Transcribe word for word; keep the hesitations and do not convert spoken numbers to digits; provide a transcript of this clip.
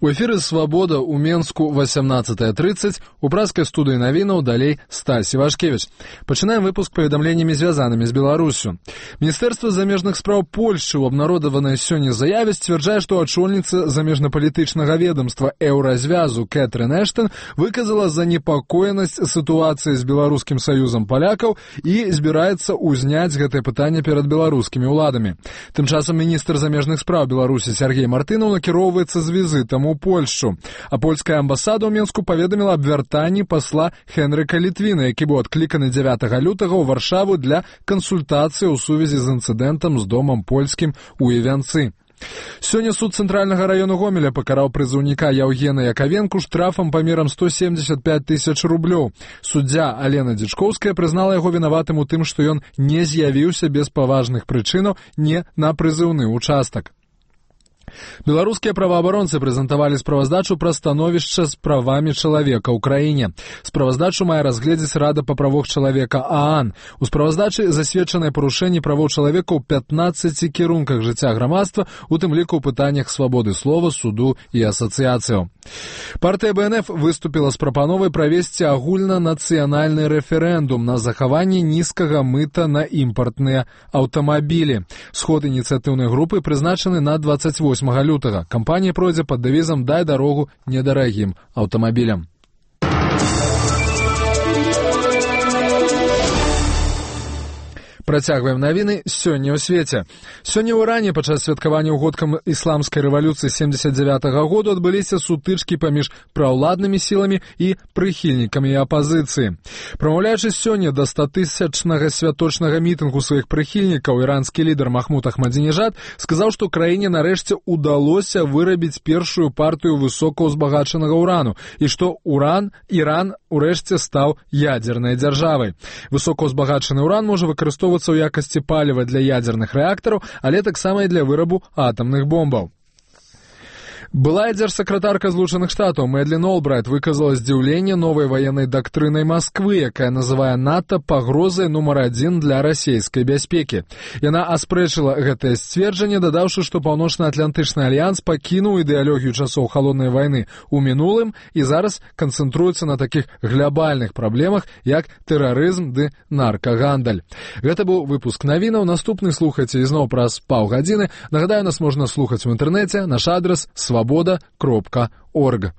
У эфіры «Свабода» ў Менску восемнадцатая тридцать, у пражскай студыі навінаў далей Стась Івашкевіч. Пачынаем выпуск паведамленнямі, звязанымі з Беларусю. Міністэрства замежных спраў Польшчы ў абнародаванай сёння заяве сцвярджае, што ачольніца замежнапалітычнага ведомства Еўразвязу Кэтрын Эштон выказала занепакоенасць сітуацыі з Беларускім саюзам палякаў і збіраецца ўзняць гэтае пытанне перад беларускімі ўладамі. Тым часам міністр замежных спраў Беларусі Сергей Мартынаў накіроўваецца з візітам у Польшу. А польская амбасада ў Менску паведаміла аб вяртанні пасла Хенрыка Літвіна, які быў адкліканы дзявятага лютага ў Варшаву для кансультацыі ў сувязі з інцыдэнтам з домам польскім у Івянцы. Сёння суд цэнтральнага раёну Гомеля пакараў прызыўніка Яўгена Яковенку штрафам памерам сто семьдесят пять тысяч рублёў. Суддзя Алена Дзічкоўская прызнала яго вінаватым у тым, што ён не з'явіўся без паважных прычынаў не на прызыўны участак. Беларускія праваабаронцы прэзентавалі справаздачу пра становішча з правамі чалавека ў краіне. Справаздачу мае разгледзець Рада па правах чалавека ААН. У справаздачы засведчаныя парушэнні правоў чалавека ў пятнаццаці кірунках жыцця грамадства, у тым ліку ў пытаннях свабоды слова, суду і асацыяцыяў. Партыя Бэ Эн Эф выступіла з прапановай правесці агульнанацыянальны рэферэндум на захаванне нізкага мыта на імпартныя аўтамабілі. Сход ініцыятыўнай групы прызначаны на двадцать восьмага лютага. Кампанія пройдзе пад дэвізам «Дай дарогу недарагім аўтамабілям». Працягваем навіны сёння ў свеце. Сёння ў Іране падчас святкавання ўгодкам ісламскай рэвалюцыі семьдесят девятага году адбыліся сутычкі паміж праўладнымі сіламі і прыхільнікамі апазіцыі. Прамаўляючы сёння да статысячнага святочнага мітынгу сваіх прыхільнікаў, іранскі лідар Махмуд Ахмадзінежад сказаў, што краіне нарэшце ўдалося вырабіць першую партыю высокаўзбагачанага ўрану і што уран Іран урэшце стаў ядзернай дзяржавай. Высокаўзбагачаны ўран можа выкарыстоўвацца у якасці паліва для ядзерных рэактараў, але таксама і для вырабу атамных бомбаў. Былая дзяржсакратарка Злучаных Штатаў Мэдлін Олбрайт выказала здзіўленне новай ваеннай дактрынай Масквы, якая называе НАТО пагрозай нумар адзін для расійскай бяспекі. Яна аспрэчыла гэтае сцверджанне, дадаўшы, што Паўночна-Атлантычны альянс пакінуў ідэалогію часоў халоднай вайны ў мінулым і зараз канцэнтруецца на такіх глобальных праблемах, як тэрарызм ды наркагандаль. Гэта быў выпуск навінаў. Наступны слухайце ізноў праз паўгадзіны. Нагадаю, нас можна слухаць у інтэрнэце. Наш адрас свабода кропка орг.